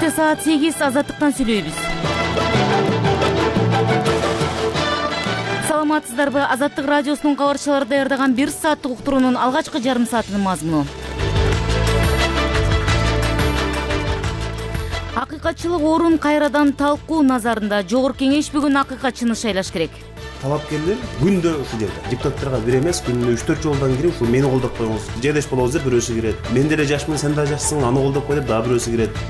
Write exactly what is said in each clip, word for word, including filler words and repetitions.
Кечте саат сегиз Азаттыктан сүйлөйбүз. Саламатсыздарбы? Азаттык радиосунун кабарчылары даярдаган бир сааттык уктуруунун алгачкы жарым саатынын мазмуну. Акыйкатчылык орун кайрадан талкуу назарында. Жогорку кеңеш бүгүн акыйкатчыны шайлаш керек. Талапкерлер күндө ушул жерде депутаттарга бир эмес, күнүнө үч төрт жолдон кирип, ушул мени колдоп коюңуз, жедеш болобуз деп бирөөсү кирет. Мен деле жашмын, сен да жашсың, аны колдоп кой деп дагы бирөөсү кирет.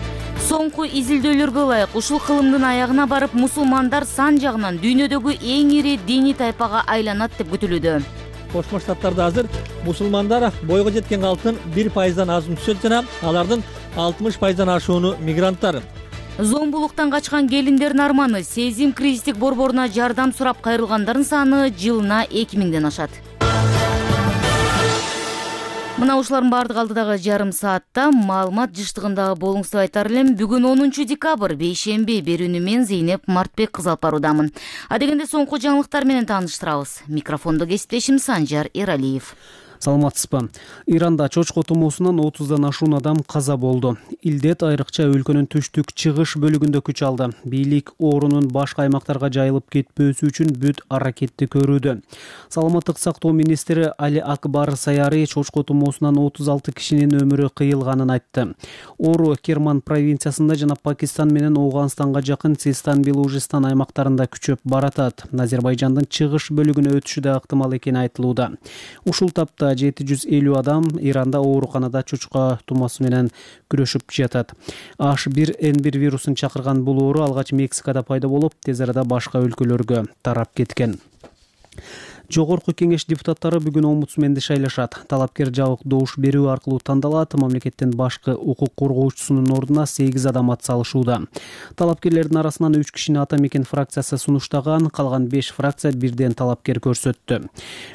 Соңку изилдөөлөргө ылайык ушул кылымдын аягына барып мусулмандар сан жагынан дүйнөдөгү эң ири диний тайпага айланат деп күтүлүүдө. Кошмо Штаттарда азыр мусулмандар бойго жеткен калктын бир пайыздан азын түшөт жана алардын алтымыш пайыздан ашууну мигранттар. Зомбулуктан качкан келиндердин арманы сезим кризистик борборуна жардам сурап кайрылгандардын саны жылына эки миңден ашат. Мына ушулардын баардыгы алдыдагы жарым саатта маалымат жыштыгында болуңуз деп айтар элем. Бүгүн онунчу декабрь, бейшемби. Берүүнү мен Зейнеп Мартбек кыз алып баруудамын. Адегенде соңку жаңылыктар менен тааныштырабыз. Микрофондо кесиптешим Санжар Эралиев. Саламатсызбы? Иранда чочко тумоосунан отуздан ашуун адам каза болду. Илдет айрыкча өлкөнүн түштүк чыгыш бөлүгүндө күч алды. Бийлик оорунун башка аймактарга жайылып кетпөөсү үчүн бүт аракетти көрүүдө. Саламаттык сактоо министри Али Акбар Саяри чочко тумоосунан отуз алты кишинин өмүрү кыйылганын айтты. Оору Керман провинциясында жана Пакистан менен Ооганстанга жакын Систан, Белужистан аймактарында күчөп баратат. Азербайжандын чыгыш бөлүгүнө өтүшү да ыктымал экени айтылууда. Ушул тапта жети жүз элүү адам Иранда ооруканада чочко тумоосу менен күрөшүп жатат. H бир N бир вирусун чакырган бул оору алгач Мексикада пайда болуп, тез арада башка өлкөлөргө тарап кеткен. Жогорку кеңеш депутаттары бүгүн омбудсменди шайлашат. Талапкер жабык добуш берүү аркылуу тандалат. Мамлекеттин башкы укук коргоочусунун ордуна сегиз адам ат салышууда. Талапкерлердин арасынан үч кишини Ата Мекен фракциясы сунуштаган, калган беш фракция бирден талапкер көрсөттү.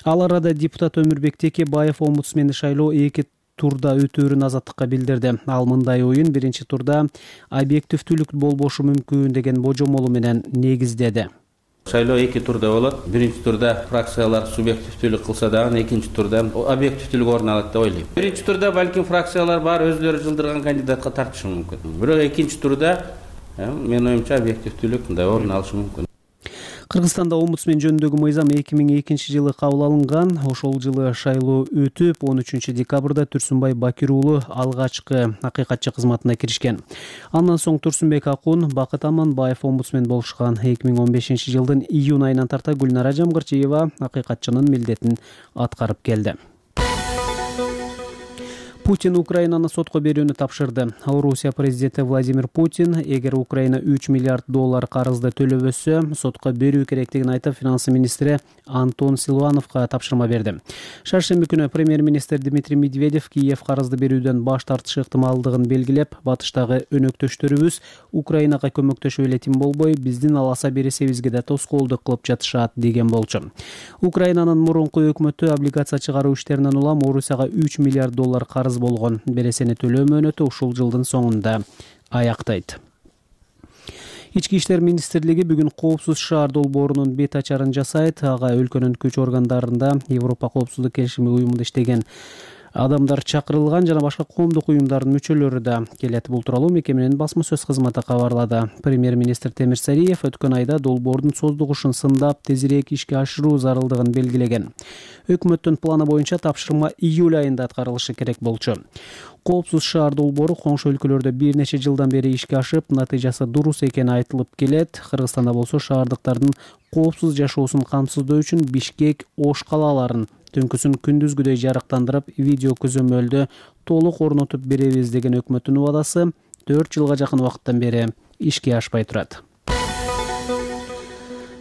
Ал арада депутат Өмүрбек Текебаев омбудсменди шайлоо эки турда өтөөрүн Азаттыкка билдирди. Ал мындай оюн биринчи турда объективдүүлүк болбошу мүмкүн деген божомолу менен негиздеди. Шайлоо эки турда болот. Биринчи турда фракциялар субъективдүүлүк кылса дагы, экинчи турда объективдүүлүк орун алат деп ойлойм. Биринчи турда балким фракциялар бар өзлөрү жылдырган кандидатка тартышы мүмкүн. Бирок экинчи турда мен оюмча объективдүүлүк мындай орун алышы мүмкүн. Кыргызстанда омбудсмен жөнүндөгү мыйзам эки миң экинчи жылы кабыл алынган. Ошол жылы шайлоо өтүп, он үчүнчү декабрда Турсунбай Бакир уулу алгачкы акыйкатчы кызматына киришкен. Андан соң Турсунбек Акун, Бакыт Аманбаев омбудсмен болушкан. эки миң он бешинчи жылдын июнь айынан тарта Гүлнара Жамгырчиева акыйкатчынын милдетин аткарып келди. Путин Украинаны сотко берүүнү тапшырды. Орусия президенти Владимир Путин эгер Украина үч миллиард доллар карызды төлөбөсө, сотко берүү керектигин айтып, финансы министри Антон Силуановго тапшырма берди. Шаршемби күнү премьер-министр Дмитрий Медведев Киев карызды берүүдөн баш тартышы ыктымалдыгын белгилеп, батыштагы өнөктөштөрүбүз Украинага көмөктөшүп эле тим болбой, биздин аласа бересебизге да тоскоолдук кылып жатышат деген болчу. Украинанын мурунку өкмөтү облигация чыгаруу иштеринен улам Орусияга үч миллиард доллар карыз болгон. Бересени төлөө мөөнөтү ушул жылдын соңунда аяктайт. Ички иштер министрлиги бүгүн коопсуз шаар долбоорунун бет ачарын жасайт. Ага өлкөнүн күч органдарында Европа коопсуздук келишими уюмунда иштеген адамдар чакырылган жана башка коомдук уюмдардын мүчөлөрү да келет. Бул тууралуу мекеменин басма сөз кызматы кабарлады. Премьер-министр Темир Сариев өткөн айда долбоордун создугушун сындап, тезирээк ишке ашыруу зарылдыгын белгилеген. Өкмөттүн планы боюнча тапшырма июль айында аткарылышы керек болчу. Коопсуз шаар долбоору коңшу өлкөлөрдө бир нече жылдан бери ишке ашып, натыйжасы дурус экени айтылып келет. Кыргызстанда болсо шаардыктардын коопсуз жашоосун камсыздоо үчүн Бишкек, Ош калааларын түнкүсүн күндүзгүдөй жарыктандырып, видео көзөмөлдө толук орнотуп беребиз деген өкмөттүн убадасы төрт жылга жакын убакыттан бери ишке ашпай турат.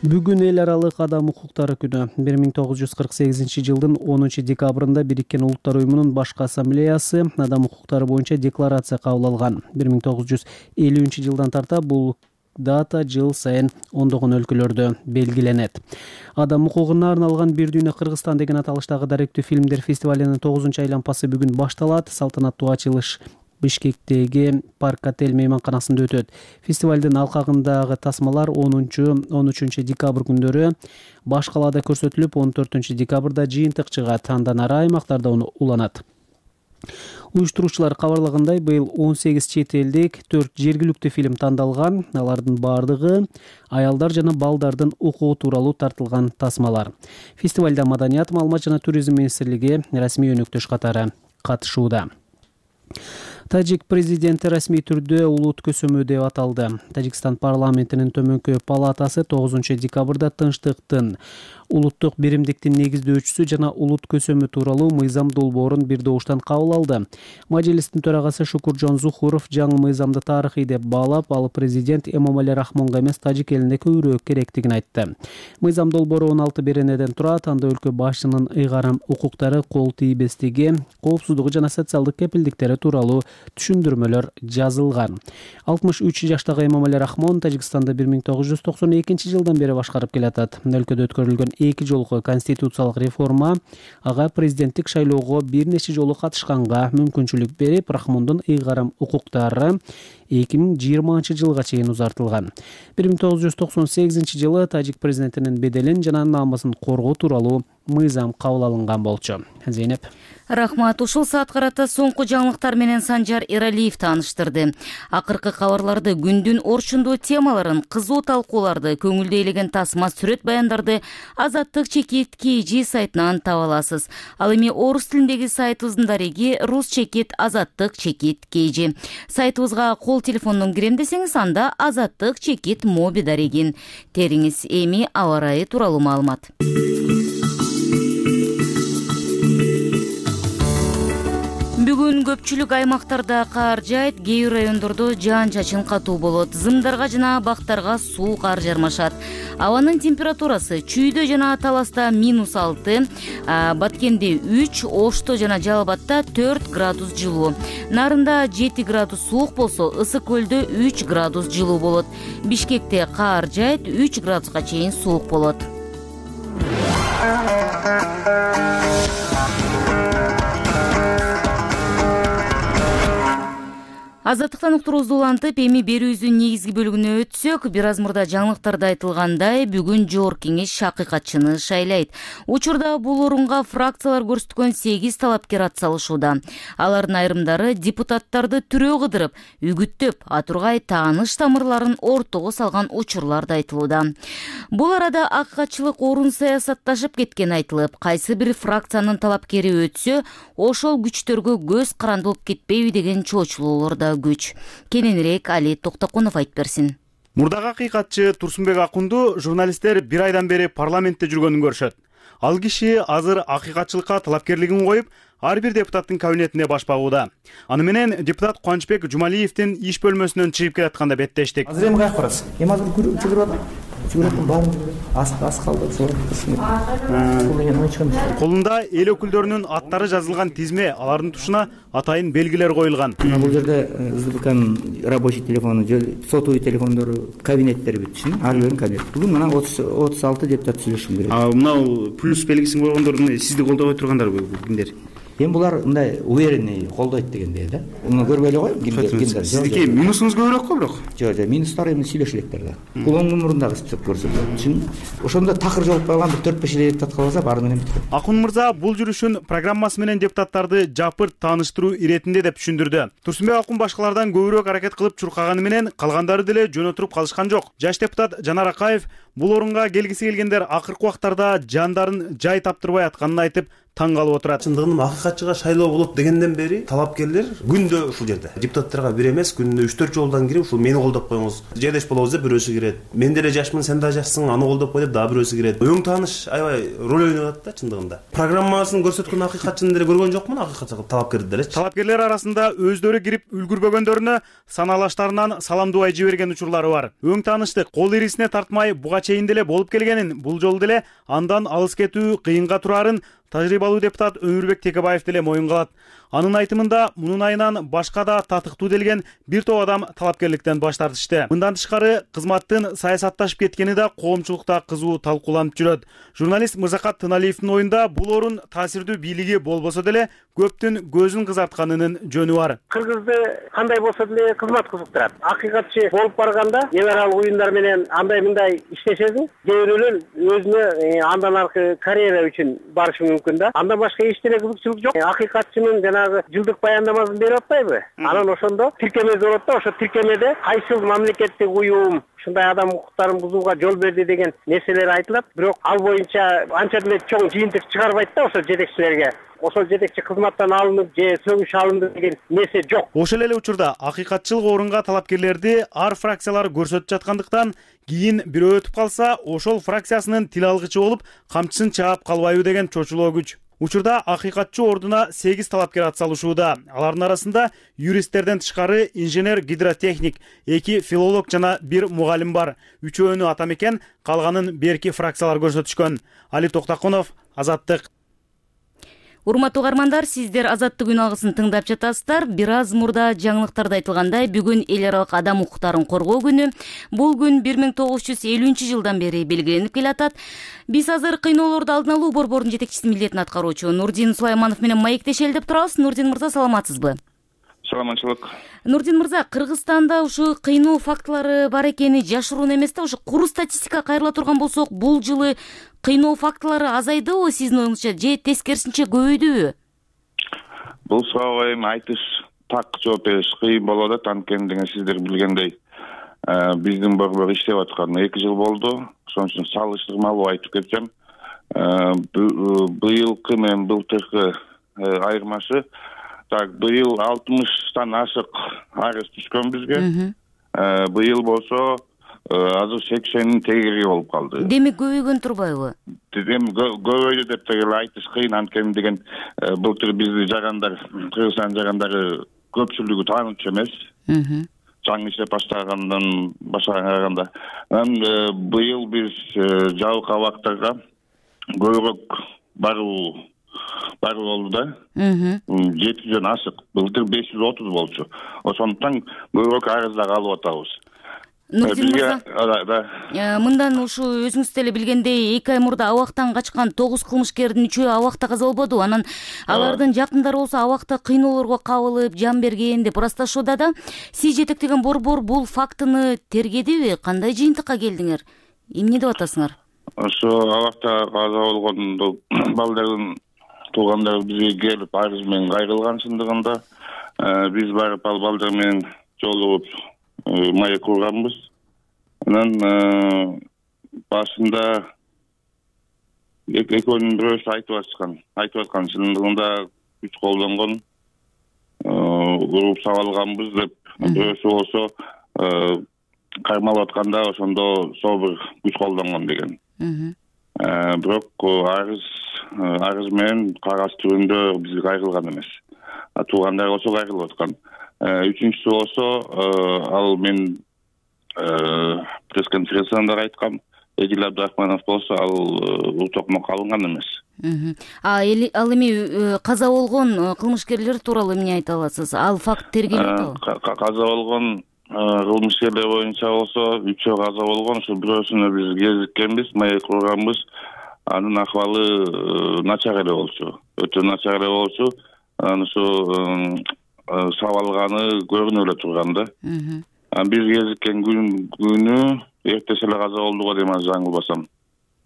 Бүгүн эл аралык адам укуктары күнү. бир миң тогуз жүз кырк сегизинчи жылдын онунчу декабрында Бириккен Улуттар уюмунун башкы ассамблеясы адам укуктары боюнча декларация кабыл алган. бир миң тогуз жүз элүүнчү жылдан тарта бул дата жыл сайын ондогон өлкөлөрдө белгиленет. Адам укугуна арналган Бир дүйнө Кыргызстан деген аталыштагы даректүү фильмдер фестивалынын тогузунчу айлампасы бүгүн башталат. Салтанаттуу ачылыш Бишкектеги Парк Отель мейманканасында өтөт. Фестивалдын алкагындагы тасмалар онунчу он үчүнчү декабрь күндөрү баш калаада көрсөтүлүп, он төртүнчү декабрда жыйынтык чыгат. Андан ары аймактарда уланат. Уюштуруучулар кабарлагандай, быйыл он сегиз чет элдик, төрт жергиликтүү фильм тандалган. Алардын бардыгы аялдар жана балдардын укугу тууралуу тартылган тасмалар. Фестивалда Маданият, маалымат жана туризм министрлиги расмий өнөктөш катары катышууда. Тажик президенти расмий түрдө улут көсөмө деп аталды. Тажикстан парламентинин төмөнкү палатасы тогузунчу декабрда тынчтыктын, улуттук биримдиктин негиздөөчүсү жана улут көсөмү тууралуу мыйзам долбоорун бир добуштан кабыл алды. Мажлистин төрагасы Шукуржон Зухуров жаңы мыйзамды тарыхый деп баалап, ал президент Эмомали Рахмонго эмес, Тажик элине көбүрөөк керектигин айтты. Мыйзам долбоору он алты беренеден турат. Анда өлкө башчынын ыйгарым укуктары, кол тийбестиги, коопсуздугу жана социалдык кепилдиктери тууралуу түшүндүрмөлөр жазылган. алтымыш үч жаштагы Эмомали Рахмон Тажикстанды бир миң тогуз жүз токсон экинчи жылдан бери башкарып келатат. Өлкөдө өткөрүлгөн эки жолку конституциялык реформа ага президенттик шайлоого бир нече жолу катышканга мүмкүнчүлүк берип, Рахмондун ыйгарым укуктары эки миң жыйырманчы жылга чейин узартылган. бир миң тогуз жүз токсон сегизинчи жылы тажик президентинин беделин жана намысын коргоо тууралуу мыйзам кабыл алынган болчу. Зейнеп. Рахмат. Ушул саат карата соңку жаңылыктар менен Санжар Эралиев тааныштырды. Акыркы кабарларды, күндүн орчундуу темаларын, кызуу талкууларды, көңүлдү ээлеген тасма сүрөт баяндарды Азаттык чекит kg сайтынан таба аласыз. Ал эми орус тилиндеги сайтыбыздын дареги рус чекит Азаттык чекит kg. Сайтыбызга кол телефондон кирем десеңиз, анда Азаттык чекит моби дарегин териңиз. Эми аба ырайы тууралуу маалымат. Бүгүн көпчүлүк аймактарда кар жайт, кээ бир райондордо жаан-чачын катуу болот. Зымдарга жана бактарга суу кар жармашат. Абанын температурасы Чүйдө жана Таласта минус алты, Баткенде үч, Ошто жана Жалалбатта төрт градус жылуу. Нарында жети градус суук болсо, Ысык көлдө үч градус жылуу болот. Бишкекте кар жайт, үч градуска чейин суук болот. Азаттыктан уктуруубузду улантып, эми берүүбүздүн негизги бөлүгүнө өтсөк, бир аз мурда жаңылыктарда айтылгандай, бүгүн Жогорку Кеңеш акыйкатчыны шайлайт. Учурда бул орунга фракциялар көрсөткөн сегиз талапкер ат салышууда. Алардын айрымдары депутаттарды түрөө кыдырып, үгүттөп, атургай тааныш тамырларын ортого салган учурлар да айтылууда. Бул арада акыйкатчылык орун саясатташып кеткен айтылып, кайсы бир фракциянын талапкери өтсө, ошол күчтөргө көз каранды болуп кетпейби деген чоочулоолор да күч. Кененирээк Али Токтоконов айтып берсин. Мурдагы акыйкатчы Турсунбек Акунду журналисттер бир айдан бери парламентте жүргөнүн көрүшөт. Ал киши азыр акыйкатчылыкка талапкерлигин коюп, ар бир депутаттын кабинетине баш багууда. Аны менен депутат Кубанычбек Жумалиевдин иш бөлмөсүнөн чыгып келатканда беттештик. Азыр эми каяка барасыз? Эми азыр жүгүрүп атам. Жүгүрөтүм баарын ас ас калды. Колунда эл өкүлдөрүнүн аттары жазылган тизме, алардын тушуна атайын белгилер коюлган. Бул жерде СДПКнын рабочий телефону, сотовый телефондору, кабинеттери бүтүшүн, ар биринин кабинети. Бүгүн мына отуз алты депутат сүйлөшүп берет. А мына плюс белгисин койгондордун сизди колдобой тургандар кимдер? Эми булар мындай уверенный колдойт дегендей да. Муну көрбөй эле кой, кимдер. Сиздики минусуңуз көбүрөөк го бирок. Жок, жок, минустар эми сүйлөшүп электер да. Бул оң мурдагы список көрсөтөт. Чын ошондо такыр жолуп калган бир төрт беш эле депутат калса, баары менен бүткөн. Акун мырза бул жүрүшүн программасы менен депутаттарды жапырт тааныштыруу иретинде деп түшүндүрдү. Турсунбек Акун башкалардан көбүрөөк аракет кылып чуркаганы менен калгандары деле жөн отуруп калышкан жок. Жаш депутат Жанар Акаев бул орунга келгиси келгендер акыркы убактарда жандарын жай таптырбай атканын айтып, таң калып отурат. Чындыгында акыйкатчыга шайлоо болот дегенден бери талапкерлер күндө ушул жерде депутаттарга бир эмес, күнүнө үч төрт жолдон кирип, ушул мени колдоп коюңуз, жедеш болобуз деп бирөөсү кирет. Мен деле жашмын, сен да жашсың, аны колдоп кой деп дагы бирөөсү кирет. Өң тааныш аябай роль ойноп атат да чындыгында. Программасын көрсөткөн акыйкатчыны деле көргөн жокмун, акыйкатчы талапкерди делечи. Талапкерлер арасында өздөрү кирип үлгүрбөгөндөрүнө саналаштарынан салам дубай жиберген учурлары бар. Өң тааныштык кол ирисине тартмай буга чейин деле болуп келгенин, бул жолу деле андан алыс кетүү кыйынга турарын тажрыйбалуу депутат Өмүрбек Текебаев деле моюнга алат. Анын айтымында мунун айынан башка да татыктуу делген бир топ адам талапкерликтен баш тартышты. Мындан тышкары кызматтын саясатташып кеткени да коомчулукта кызуу талкууланып жүрөт. Журналист Мырзакат Тыналиевдин оюнда бул орун таасирдүү бийлиги болбосо деле көптүн көзүн кызартканынын жөнү бар. Кыргызды кандай болсо деле кызмат кызыктырат. Акыйкатчы болуп барганда генерал уюндар менен андай мындай иштешесиң, кээ бирөөлөр өзүнө андан аркы карьера үчүн барышы мүмкүн да. Андан башка эчтене кызыкчылык жок. Акыйкатчынын жанагы жылдык баяндамасын берип атпайбы? Анан ошондо тиркеме болот да, ошо тиркемеде кайсыл мамлекеттик уюм ушундай адам укуктарын бузууга жол берди деген нерселер айтылат. Бирок ал боюнча анча деле чоң жыйынтык чыгарбайт да ошол жетекчилерге. Ошол жетекчи кызматтан алынып же сөгүш алынды деген нерсе жок. Ошол эле учурда акыйкатчылык орунга талапкерлерди ар фракциялар көрсөтүп жаткандыктан кийин бирөө өтүп калса, ошол фракциясынын тил алгычы болуп, камчысын чаап калбайбы деген чочулоо күч. Учурда акыйкатчы ордуна сегиз талапкер ат салышууда. Алардын арасында юристтерден тышкары инженер гидротехник, эки филолог жана бир мугалим бар. Үчөөнү ата мекен, калганын берки фракциялар көрсөтүшкөн. Али Токтаконов, Азаттык. Урматтуу угармандар, сиздер Азаттык үн алгысын тыңдап жатасыздар. Бир аз мурда жаңылыктарда айтылгандай, бүгүн эл аралык адам укуктарын коргоо күнү. Бул күн бир миң тогуз жүз элүүнчү жылдан бери белгиленип келатат. Биз азыр кыйноолорду алдын алуу борборунун жетекчиси милдетин аткаруучу Нурдин Сулайманов менен маектешели деп турабыз. Нурдин мырза, саламатсызбы? Саламатчылык. Нурдин мырза, Кыргызстанда ушу кыйноо фактылары бар экени жашыруун эмес да. Ушу куру статистика кайрыла турган болсок, бул жылы кыйноо фактылары азайдыбы сиздин оюңузча, же тескерисинче көбөйдүбү? Бул суроого эми айтыш, так жооп бериш кыйын болот да, анткени деген сиздер билгендей, биздин борбор иштеп атканына эки жыл болду. Ошон үчүн салыштырмалуу айтып кетсем, быйылкы менен былтыркы айырмашы, так быйыл алтымыштан ашык арыз түшкөн бизге. Быйыл болсо азыр сексендин тегериги болуп калды. Демек көбөйгөн турбайбы? Эми көбөйдү деп деле айтыш кыйын, анткени деген былтыр бизди жагандар, Кыргызстан жагандары көпчүлүгү таанычу эмес. Жаңы иштеп баштагандан баштаганда. Быйыл биз жабык абактарга көбүрөөк баруу бар болду да. жети жүздөн ашык. Былтыр беш жүз отуз болчу. Ошондуктан көбүрөөк арыздар алып атабыз. Нурдин мырза, мындан ушу өзүңүз деле билгендей, эки ай мурда абактан качкан тогуз кылмышкердин үчөө абакта каза болбоду. Анан алардын жакындары болсо абакта кыйноолорго кабылып, жан берген деп ырасташууда да. Сиз жетектеген борбор бул фактыны тергедиби? Кандай жыйынтыкка келдиңер? Эмне деп атасыңар? Ошо абакта каза болгон балдардын туугандары бизге келип арыз менен кайрылган чындыгында биз барып ал балдар менен жолугуп маек курганбыз. Анан башында экөөнүн бирөөсү айтып аткан, айтып аткан чындыгында күч колдонгон, уруп сабалганбыз деп, бирөөсү болсо кармалып атканда ошондо собур күч колдонгон деген. Бирок арыз арыз менен кагаз түрүндө бизге кайрылган эмес. Туугандар болсо кайрылып аткан. Үчүнчүсү болсо, ал мен пресс-конференцияда айткам, Эдил Абдрахманов болсо ал утокмокко алынган эмес. Ал эми каза болгон кылмышкерлер тууралуу эмне айта аласыз? Ал факт тергелип атабы? Каза болгон кылмышкерлер боюнча болсо үчөө каза болгон, ошо бирөөсүнө биз кезиккенбиз, маек курганбыз. Анын акыбалы начар эле болчу. Өтө начар эле болчу. Анан ушу сабалганы көрүнүп эле турган да. Биз кезиккен күнү эртеси эле каза болду го дейм, азыр жаңылбасам.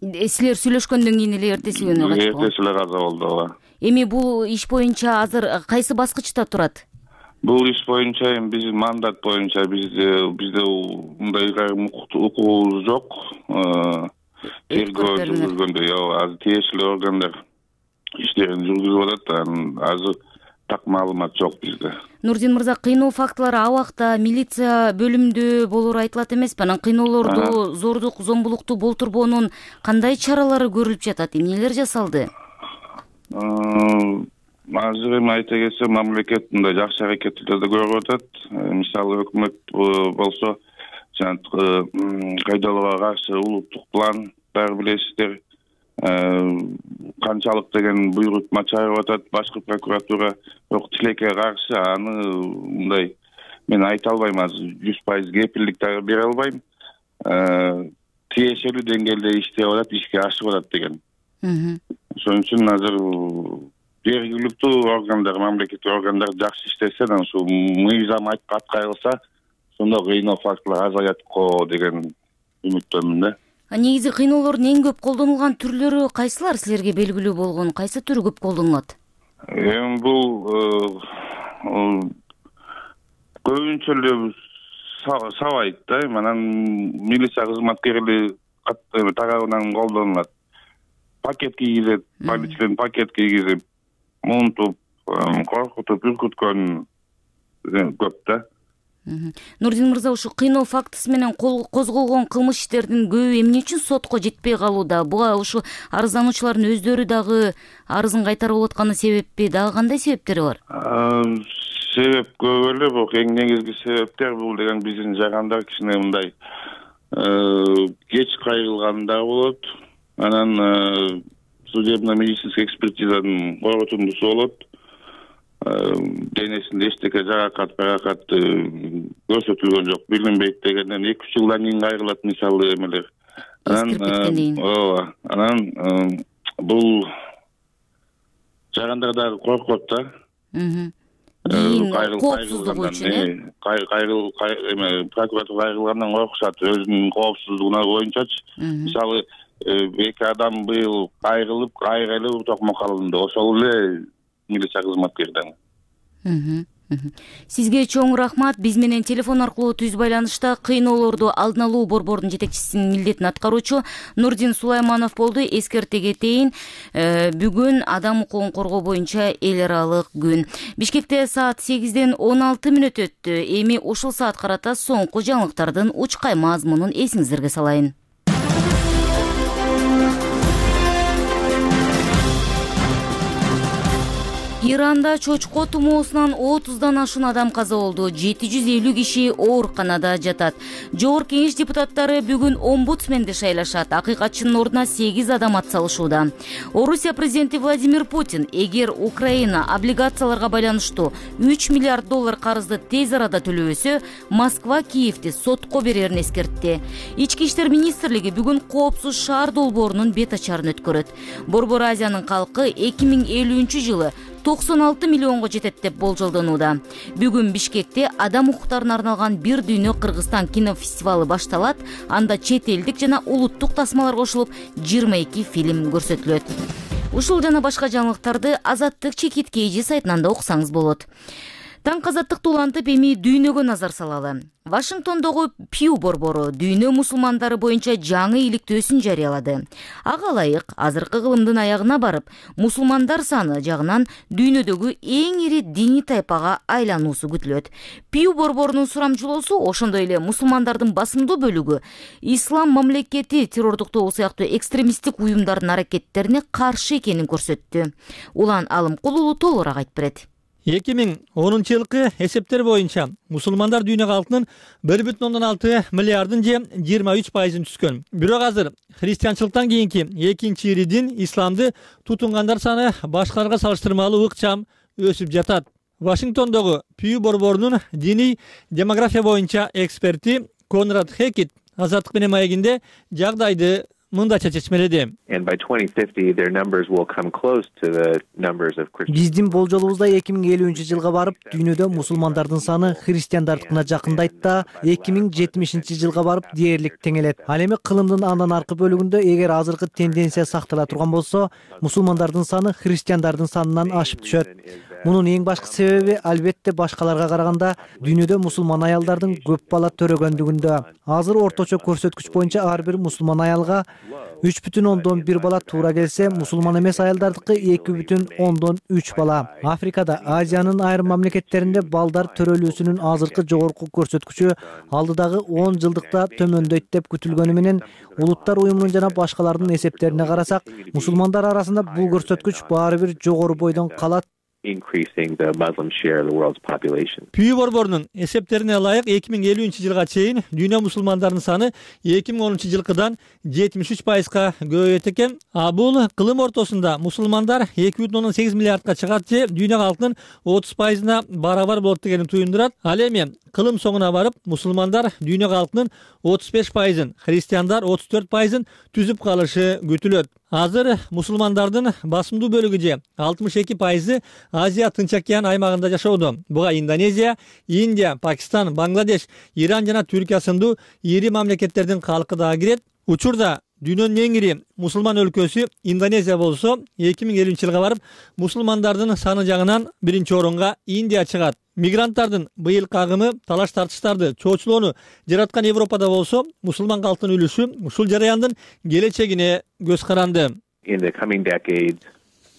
Силер сүйлөшкөндөн кийин эле эртеси күнү каза болду. Эртеси эле каза болду, ооба. Эми бул иш боюнча азыр кайсы баскычта турат? Бул иш боюнча эми биздин мандат боюнча бизде бизде мындай укугубуз жок. Тергөө жүргүзгөндө, азыр тиешелүү органдар иштерин жүргүзүп атат, азыр так маалымат жок бизде. Нурдин мырза, кыйноо фактылары абакта, милиция бөлүмүндө болору айтылат эмеспи? Анан кыйноолорду, зордук, зомбулукту болтурбоонун кандай чаралары көрүлүп жатат? Эмнелер жасалды? Азыр эми айта кетсем, мамлекет мындай жакшы аракеттерди көрүп атат. Мисалы өкмөт болсо, кайдалууга каршы улуттук план баары билесиздер. Канчалык деген буйрутма чыгарып атат башкы прокуратура. Бирок тилекке каршы аны мындай мен айта албайм, азыр жүз пайыз кепилдик да бере албайм. Тиешелүү деңгээлде иштеп атат, ишке ашып атат деген. Ошон үчүн азыр жергиликтүү органдар, мамлекеттик органдар жакшы иштесе, анан ушу мыйзам аткарылса, сонда кыйноо фактылар азаят го деген үмүттөмүн да. Негизи кыйноолордун эң көп колдонулган түрлөрү кайсылар силерге белгилүү болгон? Кайсы түрү көп колдонулат? Эми бул көбүнчө эле сабайт да, анан милиция кызматкерлери тарабынан колдонулат. Пакет кийгизет, полициялар пакет кийгизип, мунтуп, коркутуп, үркүткөн көп да. Нурдин мырза, ушу кыйноо фактысы менен козголгон кылмыш иштердин көбү эмне үчүн сотко жетпей калууда? Буга ушу арыздануучулардын өздөрү дагы арызын кайтарып алатканы себеппи? Дагы кандай себептери бар? Себеп көп эле, бирок эң негизги себептер бул деген биздин жагандар кичине мындай кеч кайрылганда болот. Анан судебно-медицинский экспертизанын корутундусу болот. Денесинде эчтеке жаракат, жаракат көрсөтүлгөн жок, билинбейт дегенден эки үч жылдан кийин кайрылат мисалы эмелер. Анан ооба, анан бул жагандар дагы коркот да. Коопсуздугу үчүн кайрыл эме прокуратура кайрылгандан коркушат өзүнүн коопсуздугуна боюнчачы. Мисалы эки адам быйыл кайрылып, кайрылып токмок алынды. Ошол эле милиция кызматкерден. Сизге чоң рахмат. Биз менен телефон аркылуу түз байланышта кыйноолорду алдын алуу борборунун жетекчисинин милдетин аткаруучу Нурдин Сулайманов болду. Эскерте кетейин, бүгүн адам укугун коргоо боюнча эл аралык күн. Бишкекте саат сегизден он алты мүнөт өттү. Эми ушул саат карата соңку жаңылыктардын учкай мазмунун эсиңиздерге салайын. Иранда чочко тумоосунан отуздан ашуун адам каза болду. жети жүз элүү киши ооруканада жатат. Жогорку Кеңеш депутаттары бүгүн омбудсменди шайлашат. Акыйкатчынын ордуна сегиз адам атсалышууда. Орусия президенти Владимир Путин эгер Украина облигацияларга байланыштуу үч миллиард доллар карызды тез арада төлөбөсө, Москва Киевди сотко берерин эскертти. Ички иштер министрлиги бүгүн коопсуз шаар долбоорунун бет ачарын өткөрөт. Борбор Азиянын калкы эки миң элүүнчү жылы токсон алты миллионго жетет деп болжолдонууда. Бүгүн Бишкекте адам укуктарына арналган бир дүйнө Кыргызстан кинофестивалы башталат. Анда чет элдик жана улуттук тасмалар кошулуп, жыйырма эки фильм көрсөтүлөт. Ушул жана башка жаңылыктарды Азаттык чекит кейжи сайтынан да окусаңыз болот. Таң азаттыкты улантып, эми дүйнөгө назар салалы. Вашингтондогу Пью борбору дүйнө мусулмандары боюнча жаңы иликтөөсүн жарыялады. Ага ылайык азыркы кылымдын аягына барып, мусулмандар саны жагынан дүйнөдөгү эң ири диний тайпага айлануусу күтүлөт. Пью борборунун сурамчылоосу ошондой эле мусулмандардын басымдуу бөлүгү ислам мамлекети террордуктоо сыяктуу экстремисттик уюмдардын аракеттерине каршы экенин көрсөттү. Улан Алымкулуу толугураак айтып берет. эки миң онунчу жылкы эсептер боюнча мусулмандар дүйнө калкынын бир бүтүн ондон алты миллиардын же жыйырма үч пайызын түзгөн. Бирок азыр христианчылыктан кийинки экинчи ири дин исламды тутунгандар саны башкаларга салыштырмалуу ыкчам өсүп жатат. Вашингтондогу Пью борборунун диний демография боюнча эксперти Конрад Хекет Азаттык менен маегинде жагдайды мындайча чечмеледи. Биздин болжолубузда эки миң элүүнчү жылга барып, дүйнөдө мусулмандардын саны христиандардыкына жакындайт да, эки миң жетимишинчи жылга барып дээрлик теңелет. Ал эми кылымдын андан аркы бөлүгүндө эгер азыркы тенденция сактала турган болсо, мусулмандардын саны христиандардын санынан ашып түшөт. Мунун эң башкы себеби албетте башкаларга караганда дүйнөдө мусулман аялдардын көп бала төрөгөндүгүндө. Азыр орточо көрсөткүч боюнча ар бир мусулман аялга үч бүтүн ондон бир бала туура келсе, мусулман эмес аялдардыкы эки бүтүн ондон үч бала. Африкада, Азиянын айрым мамлекеттеринде балдар төрөлүүсүнүн азыркы жогорку көрсөткүчү алдыдагы он жылдыкта төмөндөйт деп күтүлгөнү менен, Улуттар уюмунун жана башкалардын эсептерине карасак, мусулмандар арасында бул көрсөткүч баары бир жогору бойдон калат. increasing the Muslim share of the world's population. Пью борборунун эсептерине ылайык эки миң элүүнчү жылга чейин дүйнө мусулмандарынын саны эки миң онунчу жылкыдан жетимиш үч пайызга көбөйөт экен. А бул кылым ортосунда мусулмандар эки бүтүн ондон сегиз миллиардка чыгат же дүйнө калкынын отуз пайызына барабар болот дегенди туюндурат. Ал эми кылым соңуна барып мусулмандар дүйнө калкынын отуз беш пайызын, христиандар отуз төрт пайызын түзүп калышы күтүлөт. Азыр мусулмандардын басымдуу бөлүгү же алтымыш эки пайызы Азия Тынч океан аймагында жашоодо. Буга Индонезия, Индия, Пакистан, Бангладеш, Иран жана Түркия сындуу ири мамлекеттердин калкы да кирет. Учурда дүйнөнүн эң ири мусулман өлкөсү Индонезия болсо, эки миң элүүнчү жылга барып мусулмандардын саны жагынан биринчи орунга Индия чыгат. Мигранттардын быйылкы агымы талаш тартыштарды чоочулоону жараткан Европада болсо, мусулман калктын үлүшү ушул жараяндын келечегине көз каранды. In the coming decades,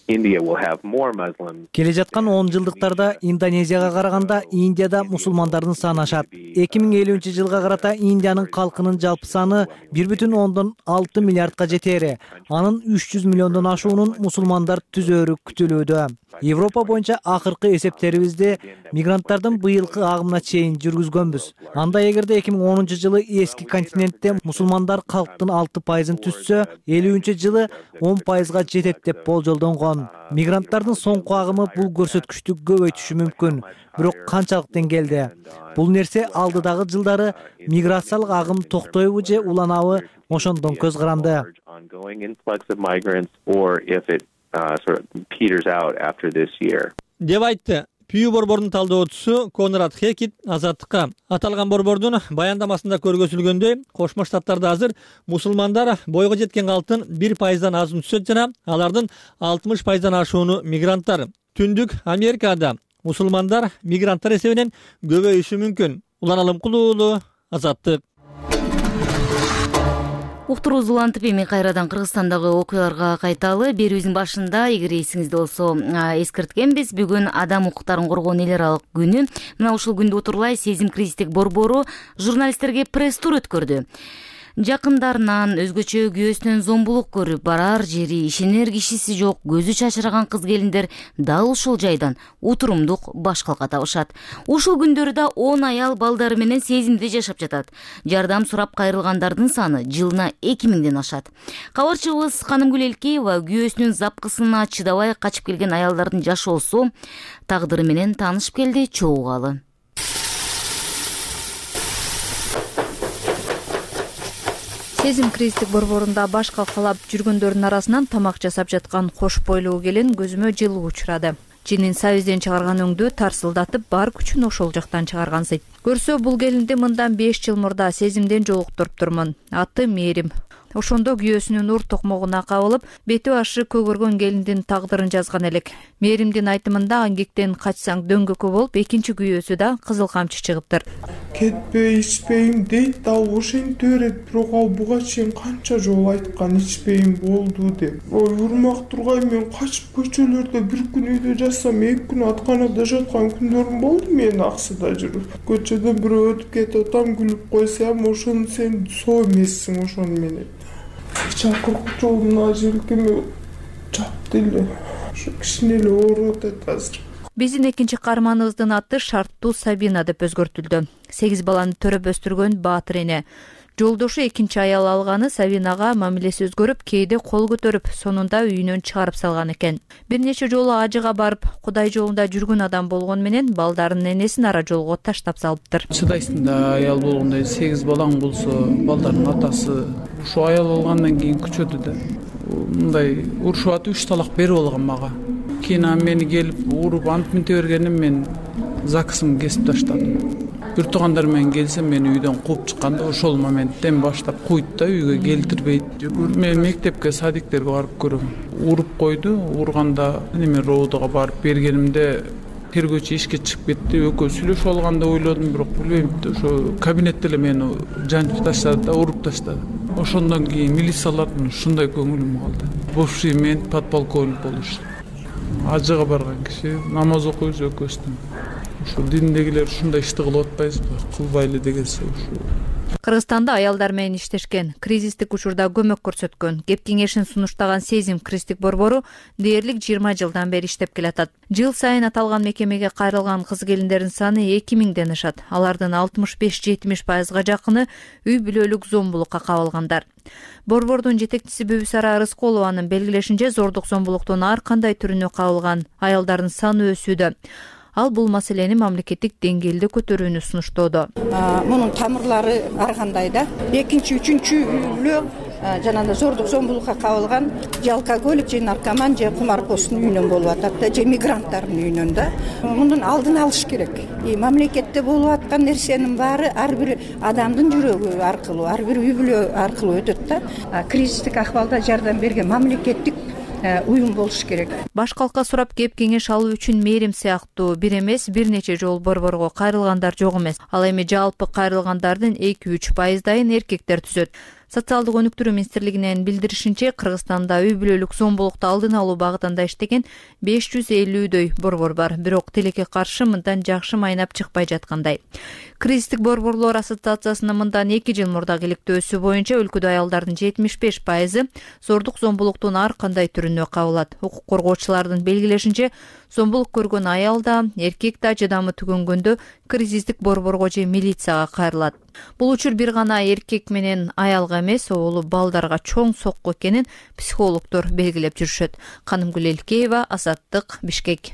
India will have more Muslims. Келе жаткан он жылдыктарда Индонезияга караганда Индияда мусулмандардын саны ашат. эки миң элүүнчү жылга карата Индиянын калкынын жалпы саны бир бүтүн ондон алты миллиардка жетери. Анын үч жүз миллиондон ашуунун мусулмандар түзөөрү күтүлүүдө. Европа боюнча акыркы эсептерибизде мигранттардын быйылкы агымына чейин жүргүзгөнбүз. Анда эгерде эки миң онунчу жылы эски континентте мусулмандар калктын алты пайызын түзсө, элүүнчү жылы он пайызга жетет деп болжолдонгон. Мигранттардын соңку агымы бул көрсөткүчтү көбөйтүшү мүмкүн. Бирок канчалык деңгээлде? Бул нерсе алдыдагы жылдары миграциялык агым токтойбу же уланабы, ошондон көз каранды. Деп айтты Пүү борбордун талдоочусу Конрад Хекит Азаттыкка. Аталган борбордун баяндамасында көргөзүлгөндөй, Кошмо Штаттарда азыр мусулмандар бойго жеткен калктын бир пайыздан азын түшөт жана алардын алтымыш пайыздан ашууну мигранттар. Түндүк Америкада мусулмандар мигранттар эсебинен көбөйүшү мүмкүн. Улан Кулуулу, Азаттык. Уктуруубуз улантып эми кайрадан Кыргызстандагы окуяларга кайталы. Берүүбүздүн башында, эгер эсиңизде болсо, эскерткенбиз. Бүгүн Адам укуктарын коргоонун эл аралык күнү. Мына ушул күндү утурлай Сезим кризистик борбору журналисттерге пресс-тур өткөрдү. Жакындарынан өзгөчө күйөөсүнөн зомбулук көрүп, барар жери, ишенер кишиси жок, көзү чачыраган кыз келиндер дал ушул жайдан утурумдук баш калка табышат. Ушул күндөрдө он аял балдары менен Сезимде жашап жатат. Жардам сурап кайрылгандардын саны жылына эки миңден ашат. Кабарчыбыз Канымгүл Элкеева күйөөсүнүн запкысына чыдабай качып келген аялдардын жашоосу, тагдыры менен таанышып келди, чогуугалы. Сезим кризистик борборунда баш калкалап жүргөндөрдүн арасынан тамак жасап жаткан кош бойлуу келин көзүмө жылуу учурады. Жинин сабизден чыгарган өңдү тарсылдатып, бар күчүн ошол жактан чыгаргансыйт. Көрсө бул келинди мындан беш жыл мурда Сезимден жолуктуруп турмун. Аты Мээрим. Ошондо күйөөсүнүн ур токмогуна кабылып, бети башы көгөргөн келиндин тагдырын жазган элек. Мээримдин айтымында аңгектен качсаң дөңгөккө болуп, экинчи күйөөсү да кызыл камчы чыгыптыр. Кетпей ичпейм дейт да ошентип берет, бирок ал буга чейин канча жолу айткан ичпейм болду деп. Ой, урмак тургай мен качып көчөлөрдө бир күн үйдө жатсам, эки күн атканада жаткан күндөрүм болду мен аксыда жүрүп. Көчөдөн бирөө өтүп кетип атам, күлүп койсом, ошону сен соо эмессиң ошону менен. Чакырык жолуна желкеме чапты эле. Ошо кичине эле ооруп атат азыр. Биздин экинчи каарманыбыздын аты Шарттуу Сабина деп өзгөртүлдү. сегиз баланы төрөп өстүргөн баатыр эне. Жолдошу экинчи аял алганы Сабинага мамилеси өзгөрүп, кээде кол көтөрүп, сонунда үйүнөн чыгарып салган экен. Бир нече жолу ажыга барып, Кудай жолунда жүргөн адам болгон менен балдарынын энесин ара жолго таштап салыптыр. Чыдайсың да, аял болгондой сегиз балаң болсо, балдардын атасы ушу аял болгондон кийин күчөдү да. Мындай урушуп атып үч талак берип алган мага. Кийин мени келип уруп антип минте бергеним мен закысымды кесип таштадым. Бир туугандар менен келсем мени үйдөн кууп чыкканда ошол моменттен баштап куйт да, үйгө келтирбейт. Мен мектепке, садиктерге барып көрөм. Уруп койду, урганда неме роодуга барып бергенимде тергөөчү ишке чыгып кетти. Экөө сүйлөшүп алганда ойлодум, бирок билбейм, ошо кабинетте эле мени жанчып таштады да, уруп таштады. Ошондон кийин милициялардын ушундай көңүлүм калды. Бывший мент подполковник болуш. Ажыга барган киши, намаз окуйбуз экөөбүздөн. Ушу диндегилер ушундай ишти кылып атпайбызбы? Кылбайлы дегенсе ушу. Кыргызстанда аялдар менен иштешкен, кризистик учурда көмөк көрсөткөн, кеп кеңешин сунуштаган Сезим кризистик борбору дээрлик жыйырма жылдан бери иштеп келатат. Жыл сайын аталган мекемеге кайрылган кыз келиндердин саны эки миңден ашат. Алардын алтымыш беш жетимиш пайызга жакыны үй бүлөлүк зомбулукка кабылгандар. Борбордун жетекчиси Бүбүсара Рысколованын белгилешинче, зордук зомбулуктун ар кандай түрүнө кабылган аялдардын саны өсүүдө. Ал бул маселени мамлекеттик деңгээлде көтөрүүнү сунуштоодо. Мунун тамырлары ар кандай да. Экинчи, үчүнчү үй бүлө жанагындай зордук зомбулукка кабылган же алкоголик же наркоман же кумарпоздун үйүнөн болуп атат да, же мигранттардын үйүнөн да. Мунун алдын алыш керек. Мамлекетте болуп аткан нерсенин баары ар бир адамдын жүрөгү аркылуу, ар бир үй бүлө аркылуу өтөт да. Кризистик акыбалда жардам берген мамлекеттик уюм болуш керек. Баш калкка сурап кеп кеңеш алуу үчүн мээрим сыяктуу бир эмес бир нече жолу борборго кайрылгандар жок эмес. Ал эми жалпы кайрылгандардын эки үч пайыздайын эркектер түзөт. Социалдык өнүктүрүү министрлигинин билдиришинче, Кыргызстанда үй бүлөлүк зомбулукту алдын алуу багытында иштеген беш жүз элүүдөй борбор бар. Бирок тилекке каршы мындан жакшы майнап чыкпай жаткандай. Кризистик борборлор ассоциациясынын мындан эки жыл мурдагы иликтөөсү боюнча өлкөдө аялдардын жетимиш беш пайызы зордук зомбулуктун ар кандай түрүнө кабылат. Укук коргоочулардын белгилешинче, зомбулук көргөн аял да, эркек да жадамы түгөнгөндө кризистик борборго же милицияга кайрылат. Бул учур бир гана эркек менен аялга эмес, оолу балдарга чоң сокку экенин психологдор белгилеп жүрүшөт. Канымгүл Элкеева, Азаттык, Бишкек.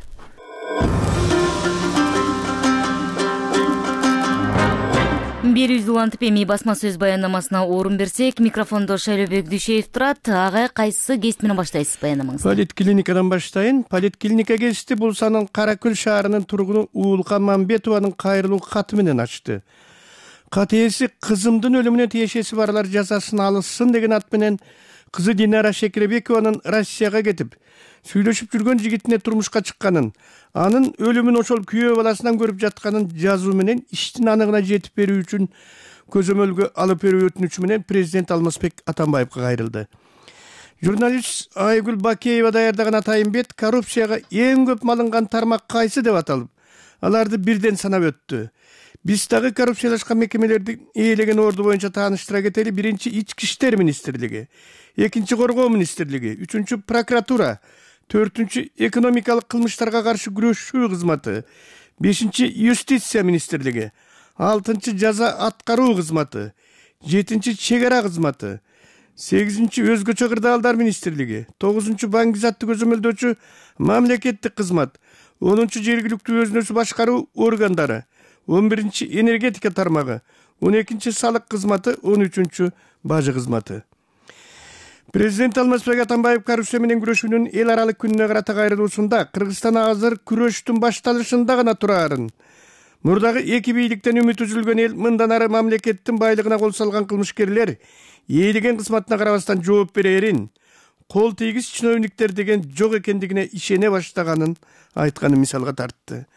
Бир үз улантып эми басма сөз баяндамасына орун берсек, микрофондо Шайлообек Дүйшеев турат. Ага кайсы кест менен баштайсыз баяндамаңызды? Политклиникадан баштайын. Политклиника кести бул санын Каракөл шаарынын тургуну Уулка Мамбетованын кайрылуу каты менен ачты. Кат ээси кызымдын өлүмүнө тиешеси барлар жазасын алышсын деген ат менен кызы Динара Шекербекованын Россияга кетип, сүйлөшүп жүргөн жигитине турмушка чыкканын, анын өлүмүн ошол күйөө баласынан көрүп жатканын жазуу менен иштин аныгына жетип берүү үчүн көзөмөлгө алып берүү өтүнүчү менен президент Алмазбек Атамбаевга кайрылды. Журналист Айгүл Бакеева даярдаган атайын бет коррупцияга эң көп малынган тармак кайсы деп аталып, аларды бирден санап өттү. Биз дагы коррупциялашкан мекемелерди ээлеген орду боюнча тааныштыра кетели. Биринчи Ички иштер министрлиги, экинчи Коргоо министрлиги, үчүнчү прокуратура, төртүнчү экономикалык кылмыштарга каршы күрөшүү кызматы, бешинчи юстиция министрлиги, алтынчы жаза аткаруу кызматы, жетинчи чек ара кызматы, сегизинчи өзгөчө кырдаалдар министрлиги, тогузунчу баңгизатты көзөмөлдөөчү мамлекеттик кызмат, онунчу жергиликтүү өзүн өзү башкаруу органдары, он биринчи энергетика тармагы, он экинчи салык кызматы, он үчүнчү бажы кызматы. Президент Алмазбек Атамбаев коррупция менен күрөшүүнүн эл аралык күнүнө карата кайрылуусунда Кыргызстан азыр күрөштүн башталышында гана турарын. Мурдагы эки бийликтен үмүт үзүлгөн эл мындан ары мамлекеттин байлыгына кол салган кылмышкерлер ээлеген кызматына карабастан жооп берерин, кол тийгиз чиновниктер деген жок экендигине ишене баштаганын айтканын мисалга тартты.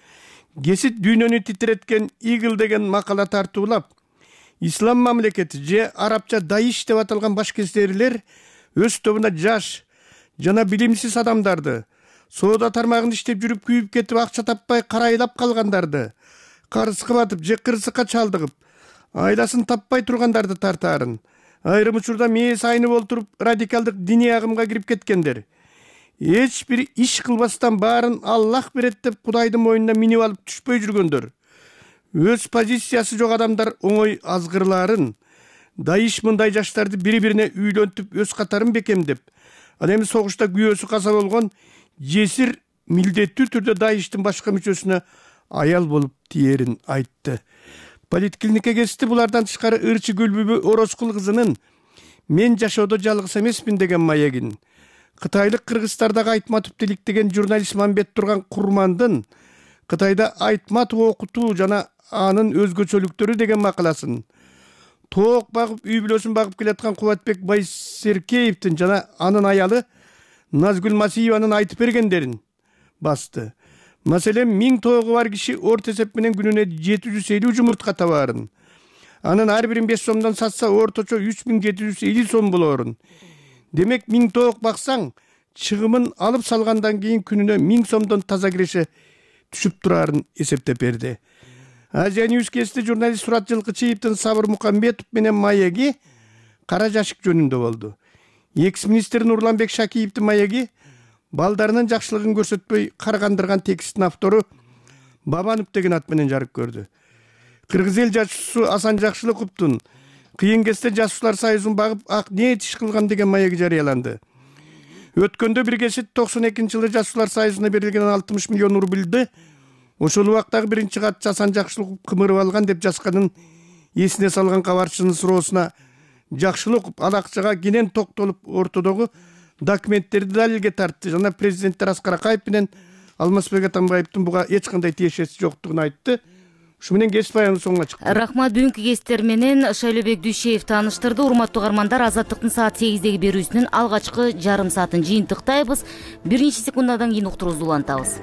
Кесит дүйнөнү титиреткен Игл деген макала тартуулап, ислам мамлекети же арабча Даиш деп аталган башкезерлер өз тобуна жаш жана билимсиз адамдарды, соода тармагында иштеп жүрүп күйүп кетип акча таппай карайлап калгандарды, карызга батып же кырсыкка чалдыгып, айласын таппай тургандарды тартаарын, айрым учурда мээс айнып олтуруп радикалдык диний агымга кирип кеткендер, эч бир иш кылбастан баарын Аллах берет деп Кудайдын мойнуна минип алып түшпөй жүргөндөр, өз позициясы жок адамдар оңой азгырлаарын, Даиш мындай жаштарды бири-бирине үйлөнтүп өз катарын бекемдеп, ал эми согушта күйөөсү каза болгон жесир милдеттүү түрдө Даиштин башка мүчөсүнө аял болуп тиерин айтты. Политклиника кести булардан тышкары Ырчы Гүлбүбү Орозкул кызынын мен жашоодо жалгыз эмесмин деген маегин, Кытайлык Кыргызстардагы Айтматов тиликтеген журналист Мамбет Турган Курмандын Кытайда Айтматов окутуу жана анын өзгөчөлүктөрү деген макаласын, тоок багып үй бүлөсүн багып келаткан Кубатбек Байсеркеевдин жана анын аялы Назгүл Масиеванын айтып бергендерин басты. Маселен, миң тоогу бар киши орто эсеп менен күнүнө жети жүз элүү жумуртка табаарын. Анын ар бирин беш сомдон сатса орточо үч миң жети жүз элүү сом болоорун. Демек, миң тоок баксаң, чыгымын алып салгандан кийин күнүнө миң сомдон таза киреше түшүп турарын эсептеп берди. Азия Ньюс кести журналист Сурат Жылкычиевдин Сабыр Мукамбетов менен маеги кара жашык жөнүндө болду. Экс-министр Нурланбек Шакиевдин маеги балдарынын жакшылыгын көрсөтпөй каргандырган текстин автору Бабанов деген ат менен жарык көрдү. Кыргыз эл жашуусу Асан Жакшылыковдун кыйын кезде жашуучулар союзун багып ак ниет иш кылган деген маеги жарыяланды. Өткөндө бир кесит токсон экинчи жылы жашуучулар союзуна берилген алтымыш миллион рубльды ошол убактагы биринчи катчы Асан Жакшылыков кымырып алган деп жазганын эсине салган кабарчынын суроосуна жакшылап окуп ал акчага кенен токтолуп ортодогу документтерди далилге тартты жана президенттер Аскар Акаев менен Алмазбек Атамбаевдин буга эч кандай тиешеси жоктугун айтты. Ушу менен кесип аягынын соңуна чыкты. Рахмат, бүгүнкү кесиптер менен Шайлообек Дүйшеев тааныштырды. Урматтуу угармандар, Азаттыктын саат сегиздеги берүүсүнүн алгачкы жарым саатын жыйынтыктайбыз. Бир нече секунддан кийин уктуруубузду улантабыз.